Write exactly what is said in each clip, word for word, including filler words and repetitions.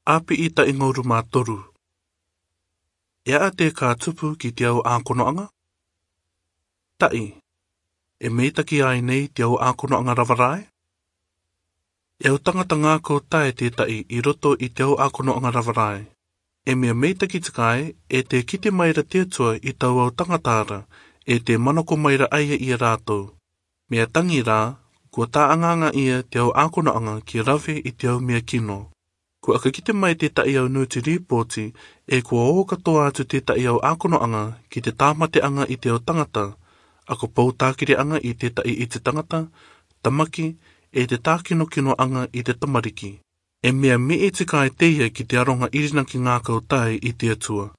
Api'i ta'i ngauru mā toru. E a'a te kā tupu ki te au ākono'anga? Ta'i, e meitaki ai nei te au ākono'anga rava rae? E au tangata ngā kau tae te ta'i i roto i te au ākono'anga rava rae. E mea meitaki te kāe, e te kite mai ra te Atua i tau au tangata ra, e te manako mai ra aia i a rātou. Mea tangi rā, kua tā'anga'anga ia te au ākono'anga ki rave i te au mea kino. Kua aka kite mai te ta'i au nūti rīpōti, e kua ō katoa atu te ta'i au ākono'anga ki te tāmate'anga i te au tangata, aka pou tākiri'anga i te ta'i i te tangata, tamaki, e te tākinokino'anga i te tamariki. E mea mi'i te kāe teia ki te aronga irinaki ngā kau tae i te Atua.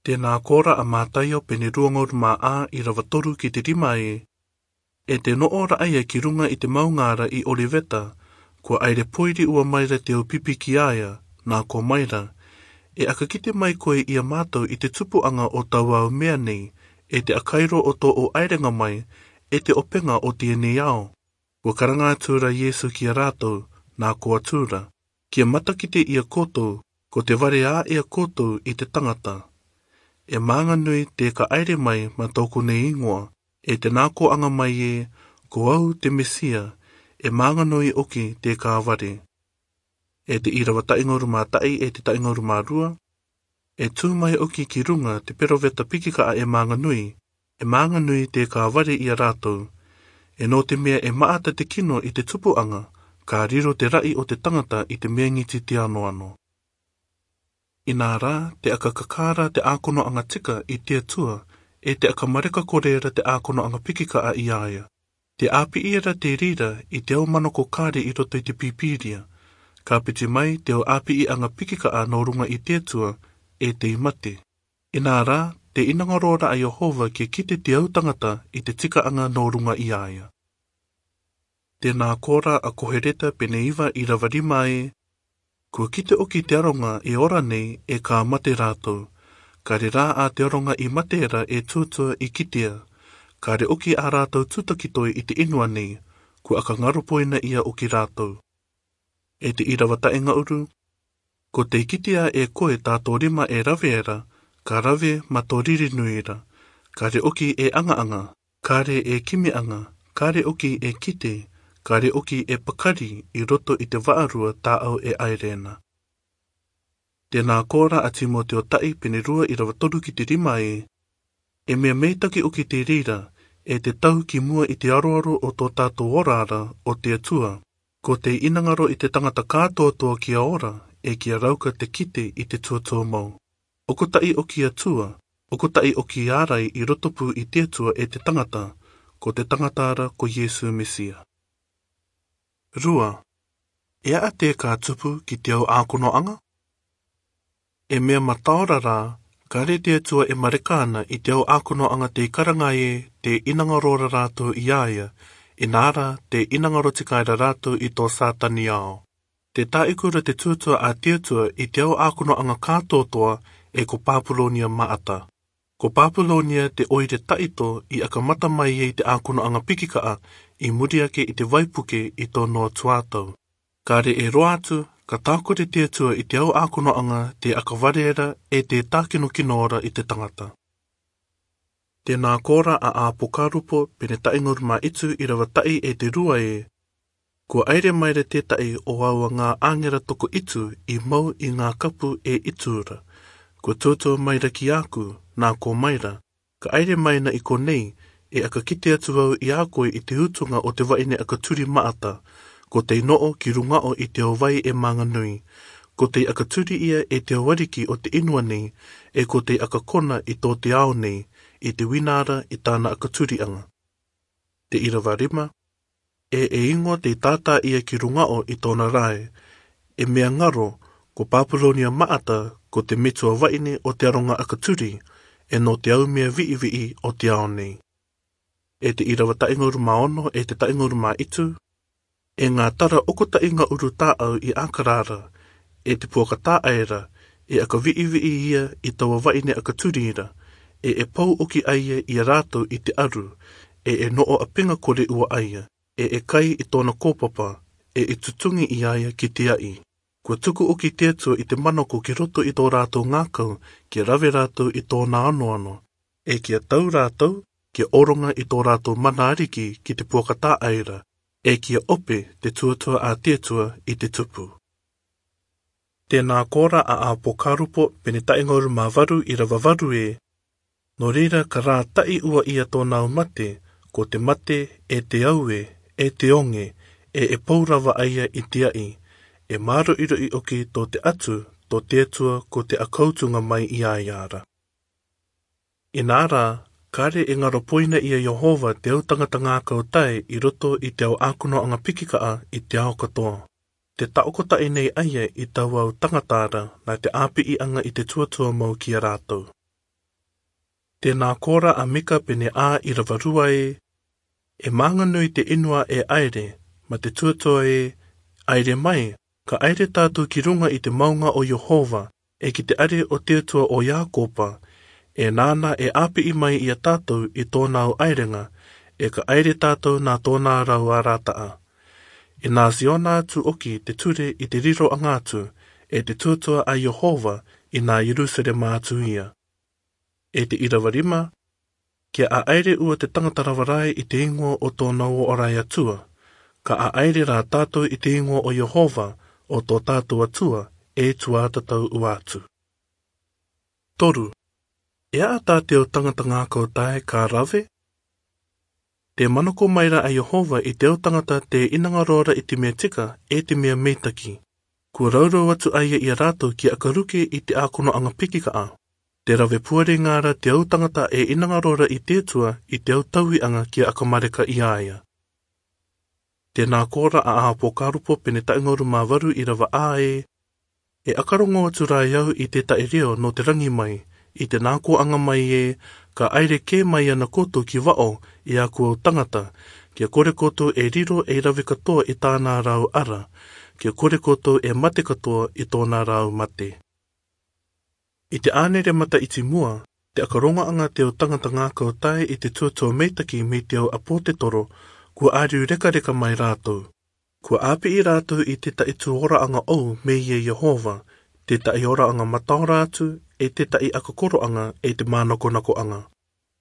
Tēnā kōrā a Mātaio pene rua ngauru mā ā i rava toru ki te rima e, e te no'o ra aia ki runga i te maungāra i Oliveta, kua aire poiri ua mai ra te au pipi ki aia, nā kua mai ra, e aka kite mai koe i a mātou i te tupu'anga o tau au mea nei, e te akairo o tō'u airenga mai, e te openga o tēnei ao. Kua karanga atu ra Iesu ki a rātou, nā kua tū ra, kia matakite i a koutou, ko te vare ā i a koutou i te tangata. E mānganui te kā aire mai mā tō'oku nei ingoa, e te nā kō'anga mai e, ko au te Mesia, e mānganui oki te kā vare. E te irava ta'i ngauru mā ta'i e te ta'i ngauru mā rua, e tū mai oki ki runga te peroveta piki ka'a e mānganui, e mānganui te kā vare i a rātou. E nō te mea e ma'ata te kino i te tupu'anga, ka riro te ra'i o te tangata i te mea ngiti te anoano. Inā rā, te aka kakā ra te ākono'anga tika i te Atua, e te aka mareka kore ra te ākono'anga piki ka'a i aia. Te api'i ra te rira i te au manako kāre i roto i te Pīpīria. Ka piti mai te au api'i'anga piki ka'a nō runga i te Atua, e tei mate. Inā rā, te inangaro ra a Iehova kia kite te au tangata i te tika'anga nō runga i aia. Tēnā kōrā a Kohereta pene iva irava rima e, kua kite oki te aronga e ora nei e kā mate rātou. Kāre rā a te aronga i mate ra e tūtua i kitea. Kāre oki a rātou tūtaki toe i te inua nei, kua aka ngaro poina ia oki rātou. E te irava ta'i ngauru, ko tei kitea e koe tā tō rima e rave ra, ka rave mā tō riri nui ra, kāre oki e anga'anga, kāre e kimi'anga, kāre oki e kite, kāre oki e pakari i roto i te va'arua tā'au e aire na. Tēnā kōrā a Timoteo ta'i pene rua irava toru ki te rima e, e mea meitaki oki te rira, e te tau ki mua i te aroaro o tō tātou ora ra o te Atua. Ko tei inangaro i te tangata kātoatoa kia ora, e kia rauka te kite i te tuatua mau. Okuta'i oki Atua, okuta'i oki ārai i roto pū i te Atua e te tangata, ko te tangata ra ko Iesu Mesia. Rua, e a'a te kā tupu ki te au ākono'anga? E mea mataora rā, kāre te Atua e mareka ana i te au ākono'anga tei karanga e, tei inangaro ra rātou i aia, inā rā, tei inangaro te kāe ra rātou i tō Sātani ao. Te tā'uku ra te tūtua a te Atua i te au ākono'anga kātoatoa, e ko Pāpulonia ma'ata. Ko Pāpulonia te 'oire ta'ito i aka mata mai e i te ākono'anga piki ka'a i muri ake i te vaipuke i tō Noa tuatau. Kāre e roa atu, ka tākore te Atua i te au ākono'anga tei aka vare ra e tei tākinokino ra i te tangata. Tēnā kōrā a Āpokarupo pene ta'i ngauru mā itu irava ta'i e te rua e, kua aire mai ra te ta'i o aua ngā 'āngera toko itu i mau i ngā kapu e itu ra. Kua tūtua mai ra ki a au, nā kua mai ra, ka aire mai na i konei, e aka kite atu au i a koe i te utunga o te va'ine aka turi ma'ata, ko tei no'o ki runga'o i te ao vai e mānganui. Ko tei aka turi ia e te au ariki o te inua nei, e ko tei aka kona i tō te ao nei, i te wina ra i tāna aka turi'anga. Te irava rima, e e ingoa tei tātā ia ki runga'o i tōna rae. E mea ngaro, ko Pāpulonia ma'ata, ko te metua va'ine o te aronga aka turi, e nō te au mea vi'i-vi'i o te ao nei. E te irava ta'i ngauru mā ono e te ta'i ngauru mā itu, e ngā tara okuta'i ngauru tā'au i aka rā ra, e te puaka tā'ai ra, e aka vi'i-vi'i ia i taua va'ine aka turi ra, e e pou oki aia i a rātou i te aru, e e no'o 'āpinga kore ua aia, e e kai i tōna kōpapa, e e tutungi i aia ki te a'i. Kua tuku ʻoki te Atua i te manako ki roto i tō rātou ngākau, kia rave rātou i tōna anoano, ʻe kia tau rātou, kia ʻoronga i tō rātou mana ariki ki te puaka tāʻaira, ʻe kia ʻope te tuatua a te Atua i te tupu. Tēnā kōrā a ʻĀpokarupo pene taʻi ngauru mā varu ʻīrava varu ē, nō reira ka rātaʻi ua ia tōna au mate, ko te mate, ʻe te aue, ʻe te onge, ʻe e pou rava ʻa ia i te aʻi, e māroʻiroʻi ʻoki tō te atu, tō te Atua ko te ʻakautunga mai iāiara. Inā rā, kāre e ngaro poina ia Iehova te au tangata ngākau tae i roto i te au ʻākonoʻanga pikikaʻa i te ao katoa. Te taʻokotaʻi nei ʻa ia i taua au tangata ra nā te ʻāpiʻiʻanga i te tuatua mau ki a rātou. Tēnā kōrā a Mika pene ʻā ʻīrava rua ē, e mānganui te inu ē ʻaere, mā te tuatua ē, ʻaere mai, ka ʻaere tātou ki ruŋa i te maunga o Iehova, ʻe ki te ʻare o te Atua o Iakopa, ʻe nāna e ʻāpiʻi mai ia tātou i tōna au ʻaerenga, ʻe ka ʻaere tātou nā tōna rau arataʻa. ʻE nā Siona atu ʻoki te ture i te riroʻanga atu, ʻe te tuatua a Iehova, ʻi nā Ierusalema atu ia. ʻE te ʻīrava rima, kia ʻaʻaere ua te tangata rava rae i te ingoa o tōna uō ʻo rae Atua, ka ʻaʻaere rā tātou i te ingoa o Iehova, ʻo tō tātou Atua, ʻe tuatatau ua atu. Toru, e aʻa tā te au tangata ngākau tae ka rave? Tē manako mai ra a Iehova i te au tangata tē inangaro ra i te mea tika, ʻe te mea meitaki. Kua raurau atu ʻa ia ia rātou kia ʻakaruke i te ʻākonoʻanga pikikaʻa. Te rave puarenga ra te au tangata e inangaro ra i te Atua i te au tauiʻanga kia ʻakamareka iāia. Tēnā kōrā a ʻĀpokarupo pene taʻi ngauru mā varu ʻīrava ʻā ē, e ʻakarongo atu rā au i te taʻi reo nō te rangi mai, i te nākoaʻanga mai ē, ka ʻaere kē mai ana koutou ki vaʻo, e aku au tangata, kia kore koutou e riro ei rave katoa i tāna rau ara, kia kore koutou e mate katoa i tōna rau mate. I te ʻānere mataʻiti mua, te ʻakarongoʻanga te au tangata ngākau tae i te tuatua meitaki mei te au ʻāpotetoro, kua ʻāriu rekareka mai rātou. Kua ʻāpiʻi rātou i te taʻi tū oraʻanga ʻou mei a Iehova, te taʻi oraʻanga mataora atu, ʻe te taʻi ʻakakoroʻanga, ʻe te mānakonakoʻanga.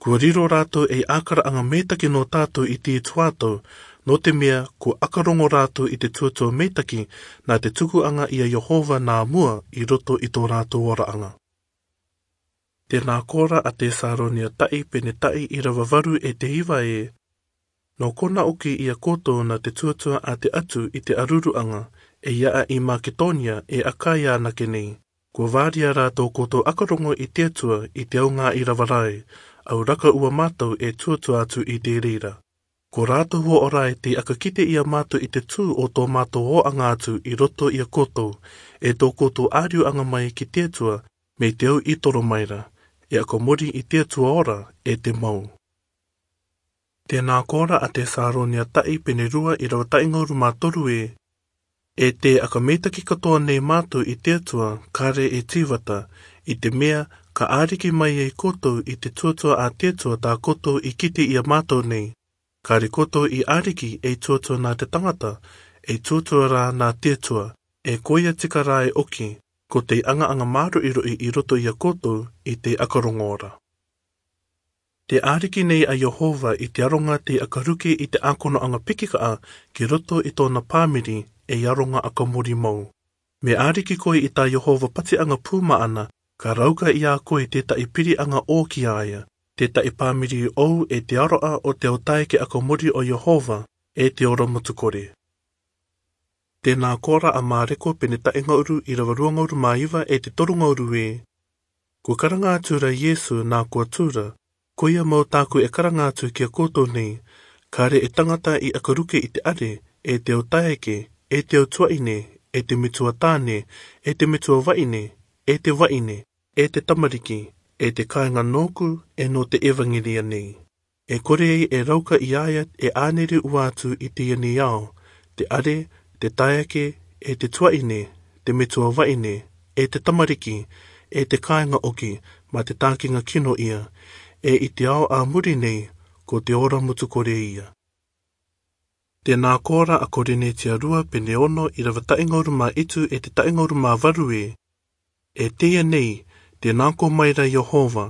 Kua riro rātou ei ʻākaraʻanga meitaki nō tātou i te tuatau, nō te mea kua ʻakarongo rātou i te tuatua meitaki nā te tukuʻanga ia Iehova nā mua i roto i tō rātou oraʻanga. Tēnā kōrā a Tesalonia taʻi pene taʻi ʻīrava varu ʻe te iva ē, nō kona ʻoki ia koutou nā te tuatua a te atu i te ʻaruruʻanga, ʻe i aʻa i Maketonia ʻe Akaia anake nei. Kua vāria rātou koutou ʻakarongo i te Atua i te au ngāʻi rava rae, au raka ua mātou e tuatua atu i te reira. Ko rātou uō ʻo rae tei ʻakakite ia mātou i te tū o tō mātou ōʻanga atu i roto ia koutou, ʻe tō koutou ʻāriuʻanga mai ki te Atua, mei te au i toro mai ra, e ʻakamori i te Atua ora, ʻe te mau. Tēnā kōrā a Tesalonia taʻi pene rua ʻīrava taʻi ngauru mā toru ē, ʻe tē ʻakameitaki katoa nei mātou i te Atua, kāre e tīvata, i te mea, ka ʻāriki mai ai koutou i te tuatua a te Atua tā koutou i kite ia mātou nei, kāre koutou i ʻāriki ei tuatua nā te tangata, ei tuatua rā nā te Atua, ʻe ko ia tika rā e ʻoki, ko te ʻangaʻanga māroʻiroʻi i roto ia koutou i te ʻakarongo ora. Te ʻāriki nei a Iehova i te aronga tei ʻakaruke i te ʻākonoʻanga pikikaʻa ki roto i tōna pāmiri ei aronga ʻakamori mau. Mea ʻāriki koe i tā Iehova patiʻanga pū maʻana, ka rauka ia koe te taʻi piriʻanga ʻō ki a ia, te taʻi pāmiri ʻou ʻe te aroʻa o te au taeke ʻakamori o Iehova, ʻe te ora motu kore. Tēnā kōrā a Mareko pene taʻi ngauru ʻīrava rua ngauru mā iva ʻe te toru ngauru ē, kua karanga atu ra Iesu nā kua tū ra, ko ia mau tāku e karanga atu ki a koutou nei, kāre e tangata i ʻakaruke i te ʻare, ʻe te au taeke, ʻe te au tuaʻine, ʻe te metua tāne, ʻe te metua vaʻine, ʻe te vaʻine, ʻe te tamariki, ʻe te kāinga nōku, ʻe nō te ʻevaŋelia nei. ʻE kore ai e rauka ia ia e ʻānere ua atu i teie nei ao, te ʻare, te taeke, ʻe te tuaʻine, te metua vaʻine, ʻe te tamariki, ʻe te kāinga ʻoki, mā te tākeŋa kino ia, ʻe i te ao a muri nei, ko te ora motu kore ia. Te nā kōrā a Korinetia rua pene ono, irava taʻi ngauru mā itu e te taʻi ngauru mā varu ē: E teie nei, te nā kō mai ra Iehova,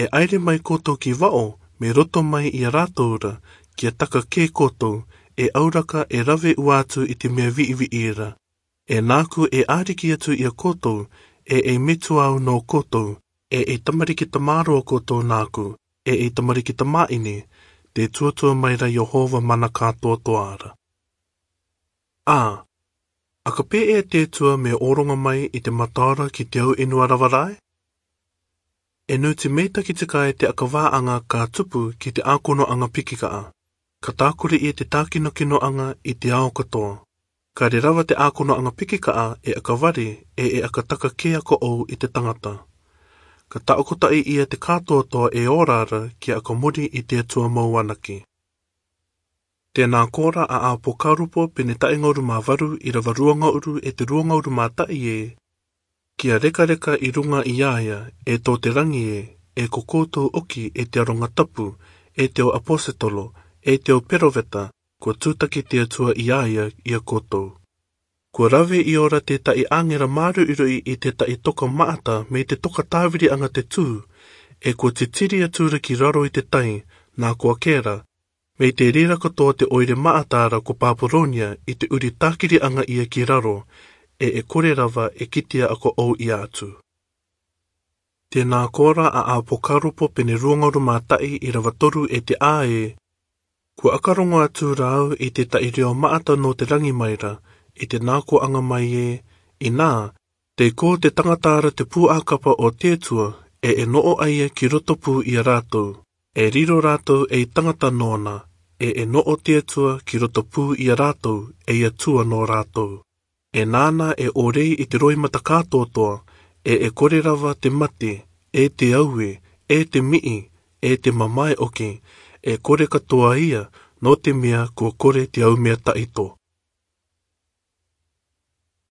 e ʻaire mai koutou ki vaʻo, mei roto mai ia rātou ra, kia taka kē koutou, e auraka e rave ua atu i te mea viʻiviʻi ra. E nāku e ʻĀriki atu ia koutou, e ei metua au nō koutou, e ei tamariki tamāroa koutou nāku, e ei tamariki tamāʻine, te tuatua mai ra Iehova mana kātoatoa ra. ʻĀ, ʻaka pē ʻe te tua mea ʻōroga mai i te mataora ki te au ʻenua rava rā ē? E nū te meitaki tika e te ʻakavāʻaga ka tupu ki te ʻākonoʻaga pikikaʻa, ka tākuri ia te tākinokinoʻaga i te ao katoa. Ka rerava te ʻākonoʻaga pikikaʻa e ʻakavare, e e ʻakataka kē ʻa koʻou i te tagata. Ka taʻokotaʻi ia te kātoatoa e ora ra kia ʻakamori i te Atua mau anake. Te nā kōrā a Apokarupo pene taʻi ngauru mā varu, irava rua ngauru e te rua ngauru mā taʻi ē: Kia rekareka i ruga ia ia, e tō te ragi ē, e ko koutou ʻoki e te aroga tapu, e te au ʻaposetolo, e te au peroveta, kua tūtaki te Atua ia ia ia koutou. Kua rave i ora te taʻi ʻāngera māruiruʻi i te taʻi toka maʻata mei te toka tāviriʻaga te tū, e kua titiri atu ra ki raro i te tai, nā kua kē ra, mei te reira katoa te ʻoire maʻata ra ko Babulonia i te ʻuri tākiriʻaga ia ki raro, e e kore rava e kitia ʻa koʻou ia atu. Te nā kōrā a Apokarupo pene rua ngauru mā taʻi, irava toru e te ʻā ē: Kua ʻakarogo atu ra au i te taʻi reo maʻata nō te ragi mai ra, i te nā kōʻaga mai ē: Inā, tei kō te tagata ra te pūʻākapa o te Atua, e e noʻo ʻaia ki roto pū ia rātou, e riro rātou ei tagata nōna, e e noʻo te Atua ki roto pū ia rātou, ei Atua nō rātou. E nāna e ʻōrei i te roimata kātoatoa, e e kore rava te mate, e te aue, e te miʻi, e te mamae ʻoke, e kore katoa ia, nō te mea kua kore te au mea taʻito.